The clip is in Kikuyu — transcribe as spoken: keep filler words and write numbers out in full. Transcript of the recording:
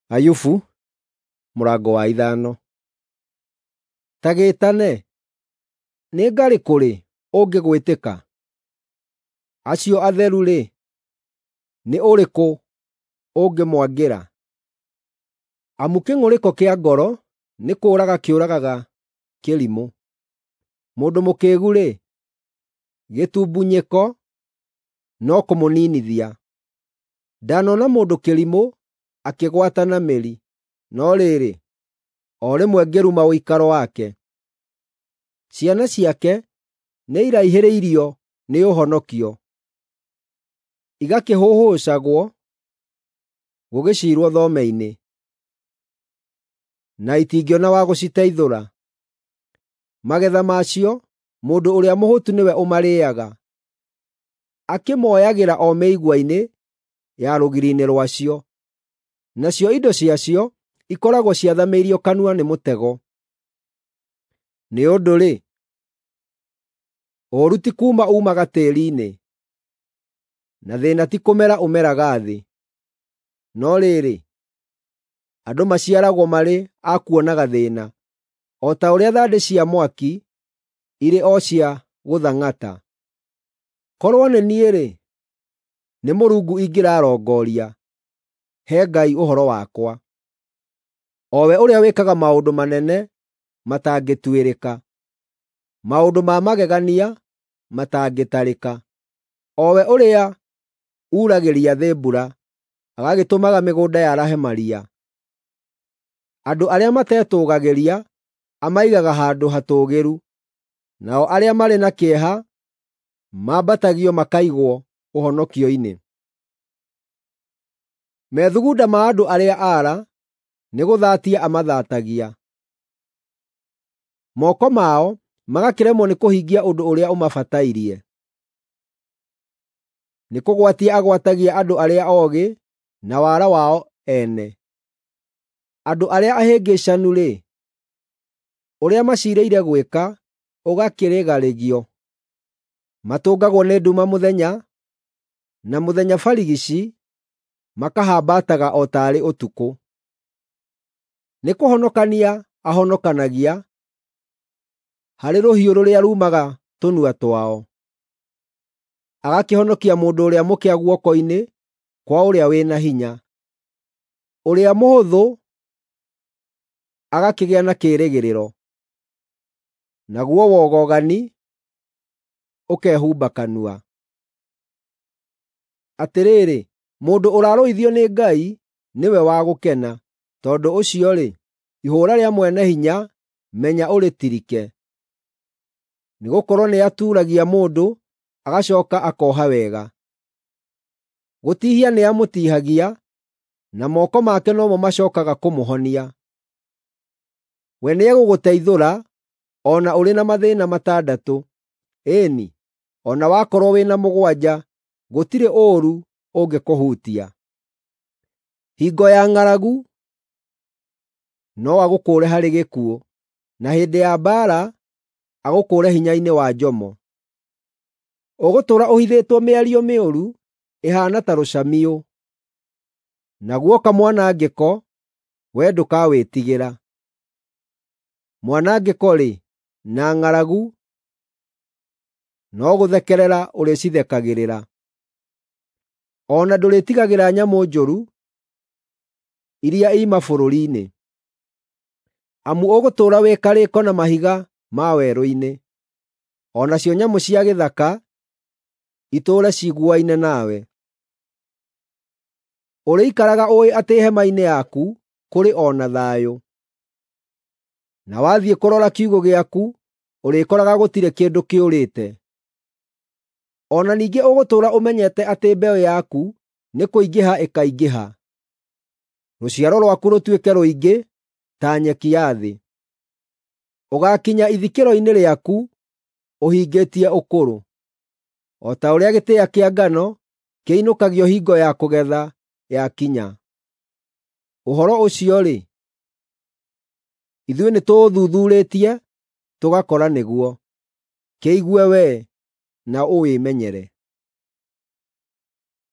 Ayubu mũrango wa ithano. Ta gĩĩtane, nĩ ngarĩ kũrĩ ũngĩgwĩtĩka? Acio atheru-rĩ, nĩ ũrĩkũ ũngĩmwangĩra? Amu kĩng'ũrĩko kĩa ngoro nĩ kũũraga kĩũragaga kĩrimũ. Mũndũ mũkĩĩgu-rĩ, gĩtumbunyĩko no kũmũniinithia. Ndanona mũndũ kĩrimũ akĩgwata na mĩri, no rĩrĩ, o rĩmwe ngĩruma ũikaro wake. Ciana ciake nĩiraihĩrĩirio nĩ ũhonokio, igakĩhũhũcagwo gũgĩciirwo thome-inĩ, na itingĩona wa gũciteithũra. Magetha macio mũndũ ũrĩa mũhũtu nĩwe ũmarĩĩaga, akĩmoyagĩra o mĩigua-inĩ ya rũgiri-inĩ rwacio, nacio indo ciacio ikoragwo ciathamĩirio kanua nĩ mũtego. Nĩ ũndũ-rĩ, ũũru ti kuuma uumaga tĩĩri-inĩ, na thĩĩna ti kũmera ũmeraga thĩ. No rĩrĩ, andũ maciaragwo marĩ a kuonaga thĩĩna, o ta ũrĩa thandĩ cia mwaki irĩ o cia gũthang'ata. Korwo nĩ niĩ-rĩ, nĩ Mũrungu ingĩrarongoria, he Ngai ũhoro wakwa, o we ũrĩa wĩkaga maũndũ manene matangĩtuĩrĩka, maũndũ ma magegania matangĩtarĩka, o we ũrĩa uuragĩria thĩ mbura, agagĩtũmaga mĩgũnda yarahe maria. Andũ arĩa matetũũgagĩria amaigaga handũ hatũũgĩru, nao arĩa marĩ na kĩeha mambatagio makaigwo ũhonokio-inĩ. Methugunda ma andũ arĩa aara nĩgũthatia amathaatagia, moko mao magakĩremwo nĩ kũhingia ũndũ ũrĩa ũmabatairie. Nĩkũgwatia agwatagia andũ arĩa oogĩ na wara wao ene. Andũ arĩa ahĩngĩcanu-rĩ, ũrĩa maciirĩire gwĩka ũgakĩrĩgarĩgio. Matũngagwo nĩ nduma mũthenya, na mũthenya barigici makahambataga o taarĩ ũtukũ. Nĩkũhonokania ahonokanagia harĩ rũhiũ rũrĩa ruumaga tũnua twao, agakĩhonokia mũndũ ũrĩa mũkĩa guoko-inĩ kwa ũrĩa wĩ na hinya. Ũrĩa mũhũthũ agakĩgĩa na kĩĩrĩgĩrĩro, naguo wogogani ũkehumba kanua. Atĩrĩrĩ, mũndũ ũrarũithio nĩ Ngai nĩwe wa gũkena; tondũ ũcio-rĩ, ihũũra rĩa Mwene-Hinya menya ũrĩtirike. Nĩgũkorwo nĩatuuragia mũndũ agacooka akooha wega. Gũtihia nĩamũtiihagia, na moko make no mo macookaga kũmũhonia. We nĩegũgũteithũra o na ũrĩ na mathĩĩna matandatũ, ĩĩ-ni, o na wakorwo wĩ na mũgwanja, gũtirĩ ũũru ũngĩkũhutia. Hingo ya ng'aragu no agũkũũre harĩ gĩkuũ, na hĩndĩ ya mbaara agũkũũre hinya-inĩ wa njomo. Ũgũtũũra ũhithĩtwo mĩario mĩũru ĩhaana ta rũcamiũ, na guoka mwanangĩko, wee ndũkawĩtigĩra. Mwanangĩko-rĩ, na ng'aragu no gũthekerera ũrĩcithekagĩrĩra. O na ndũrĩtigagĩra nyamũ njũru iria ii mabũrũri-inĩ, amu ũgũtũũra wĩ karĩko na mahiga ma werũ-inĩ, o nacio nyamũ cia gĩthaka itũũre ciguaine nawe. Ũrĩikaraga ũũĩ atĩ hema-inĩ yaku kũrĩ o na thayũ, na wathiĩ kũrora kiugũ gĩaku ũrĩkoraga gũtirĩ kĩndũ kĩũrĩte. O na ningĩ ũgũtũũra ũmenyete atĩ mbeũ yaku nĩkũingĩha ĩkaingĩha, rũciaro rwaku rũtuĩke rũingĩ ta nyeki ya thĩ. Ũgaakinya ithikĩro-inĩ rĩaku ũhingĩtie ũkũrũ, o ta ũrĩa gĩtĩa kĩa ngano kĩinũkagio hingo ya kũgetha yakinya. Ũhoro ũcio-rĩ, ithuĩ nĩtũũthuthuurĩtie tũgakora nĩguo. Kĩigue wee na ũwĩmenyere.